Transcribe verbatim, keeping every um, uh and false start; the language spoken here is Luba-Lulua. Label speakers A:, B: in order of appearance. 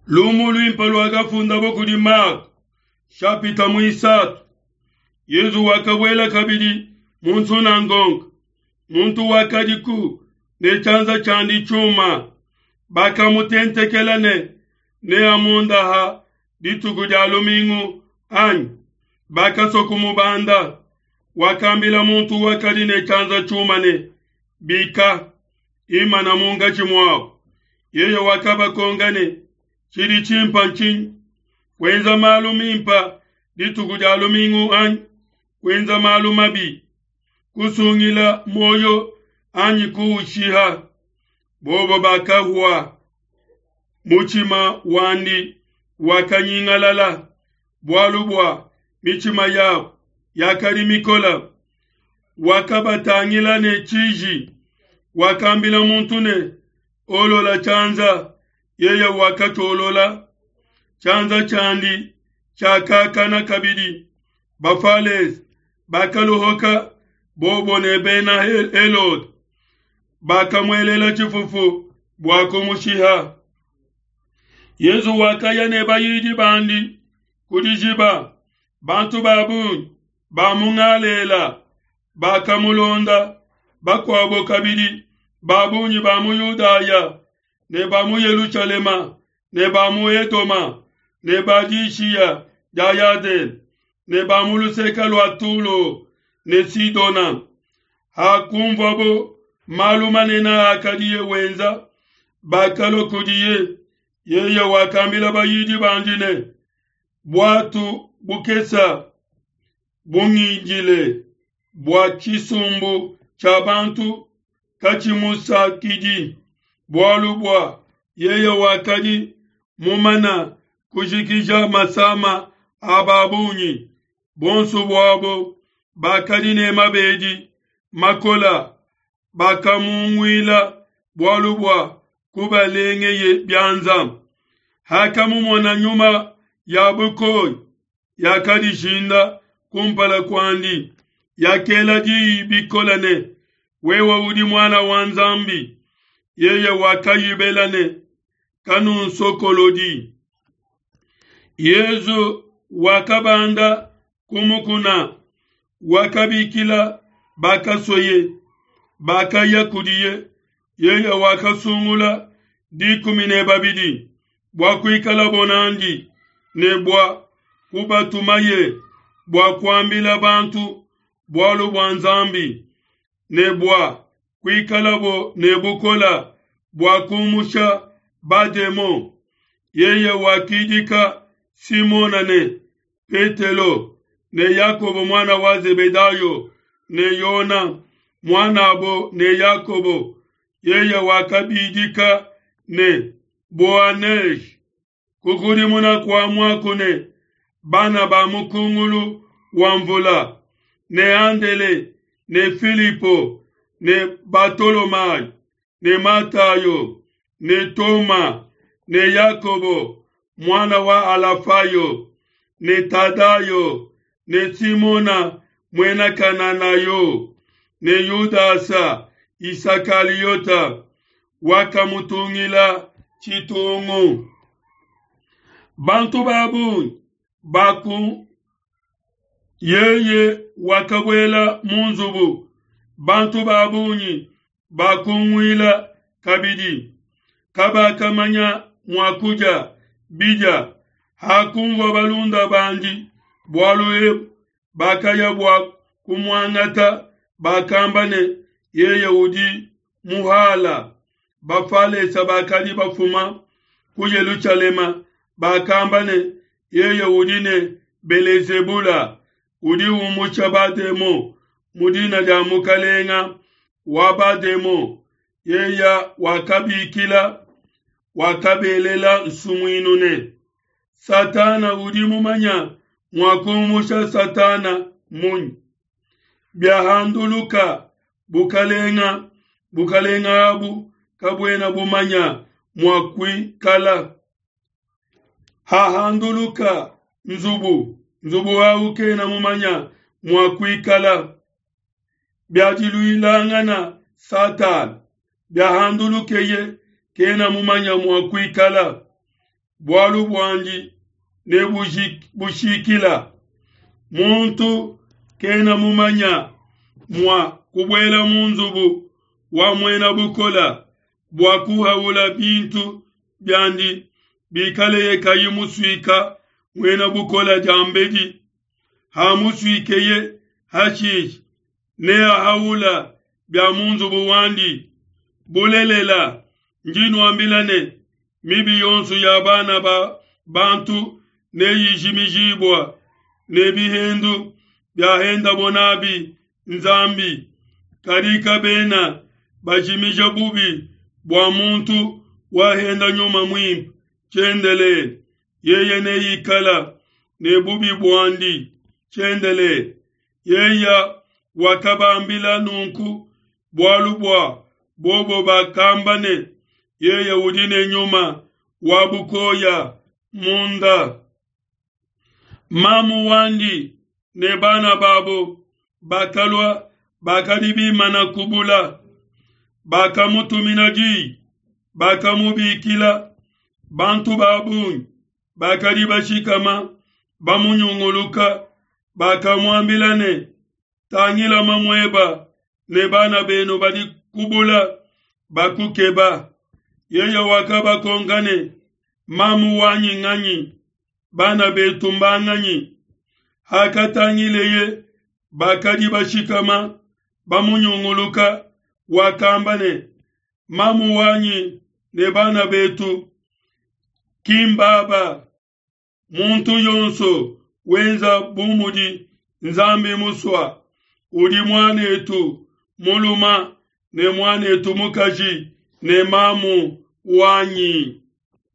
A: Lumu luimpe luakafundabo kudi Mako, shapita muisatu. Yezu wakabuela kabidi mu nsunangonga, muntu wakadiku ne tshianza tshiandi tshiuma. Bakamutentekela ne neamuondaha dituku dia lumingu anyi? Bakasua kumubanda. Wakambila muntu wakadi ne tshianza tshiuma ne, Bika, imana munkatshi muabo. Yeye wakabakonka ne, Tshidi tshimpe ntshinyi? Kuenza malu mimpe dituku dia lumingu anyi kuenza malu mabi? Kusungila muoyo anyi kuushiha? Bobo bakahua. Mutshima wandi wakanyingalala, bualu bua mitshima yabo yakadi mikole. Wakabatangila ne tshiji, wakambila muntu ne, Olola tshianza. Yeye wakatshiolola, tshianza tshiandi tshiakakana kabidi. Bafalese bakaluhuka, bobo ne Bena Helode, bakamuelela tshifufu bua kumushiha. Yezu wakaya ne bayidi bandi ku dijiba. Bantu ba bungi ba mu Galela bakamulonda, bakuabo kabidi ba bungi ba mu Yudaya ne ba mu Yelushalema ne ba mu Edoma ne ba dishiya dia Yadene ne ba mu luseke lua Tulo ne Sidona. Hakunvuabo malu manene akadiye wenza, bakalua kudiye. Yeye wakambila bayidi bandi ne, Buatu bukese bungindile bua tshisumbu tshia bantu katshimusakidi, bualu bua yeye wakadi mumana kujikija masama a ba bungi. Bonso buabo bakadi ne mabedi makole bakamunguila bualu bua kubalengeye bianza. Hakamumona nyuma ya bukoya yakadishinda kumpala kuandi, yakela diyi bikole ne, Wewe udi Muana wa Nzambi. Yeye wakayibela ne, Kanunsokolodi. Yezu wakabanda ku mukuna, wakabikila bakasueye, bakaya kudiye. Yeye wakasungula dikumi ne babidi bua kuikalabo nandi ne bua kubatumaye bua kuambila bantu bualu bua Nzambi ne bua kuikalabo ne bukole bua kumusha bademon. Yeye wakidika Simona ne Petelo ne Yakobo muana wa Zebedayo ne Yona muanabo ne Yakobo. Yeye wakabidika ne Boanerge, kukudimuna kua muaku ne, bana ba mukungulu wa mvula, ne Andele ne Filipo ne Batolomayo ne Matayo ne Toma ne Yakobo muana wa Alafayo ne Tadayo ne Simona muena Kananayo ne Yudasa Isakaliota wakamutungila tshitungu. Bantu ba bungi baku yeye wakabuela mu nzubu, bantu ba bungi bakunguila kabidi, kabakamanya mua kudia bidia. Hakunvua balunda bandi bualu ebu, bakaya bua kumuangata, bakamba ne, Yeye udi muhala. Bafalesa bakadi bafuma ku Yelushalema bakamba ne, Yeye udi ne Belezebula, udi umusha bademon mu dina dia mukalenga wa bademon. Yeye wakabikila, wakabelela nsumuinu ne, Satana udi mumanya mua kumusha Satana munyi? Biahanduluka bukalenga, bukalenga abu kabuena bumanya mua kuikala. Hahanduluka nzubu, nzubu awu kena mumanya mua kuikala. Biadiluilangana Satana, biahandulukeye kena mumanya mua kuikala. bualu buandi nebushikila. Muntu kena mumanya mua kubuela mu nzubu wa muena bukola bua kuhaula bintu biandi bikaleye kayi musuika muena bukola diambedi. Hamusuikeye hashishe neahaula bia mu nzubu wandi. Bulelela, ndi nuambila ne, mibi yonso ya bana ba bantu neyijimijibua ne bihendu biahendabo nabi Nzambi, kadi kabena bajimija bubi bua muntu wahenda Nyuma Muimpe tshiendelele, yeye neikala ne bubi buandi tshiendelele. Yeye wakabambila nunku bualu bua bobo bakamba ne, yeye udi ne nyuma wa bukoya munda. Mamu wandi ne bana babo bakalua bakadi bimana kubula, bakamutumina diyi, bakamubikila. Bantu ba bungi bakadi bashikama bamunyunguluka, bakamuambila ne, tangila mamueba ne bana benu badi kubula bakukeba. Yeye wakabakonka ne, mamu wanyi nganyi? Bana betu mbanganyi? Hakatangileye bakadi bashikama bamunyunguluka, wakamba ne, mamu wanyi ne bana betu kimbaba. Muntu yonso wenza bu mudi Nzambi musua, udi muanetu muluma ne muanetu mukaji ne mamu wanyi.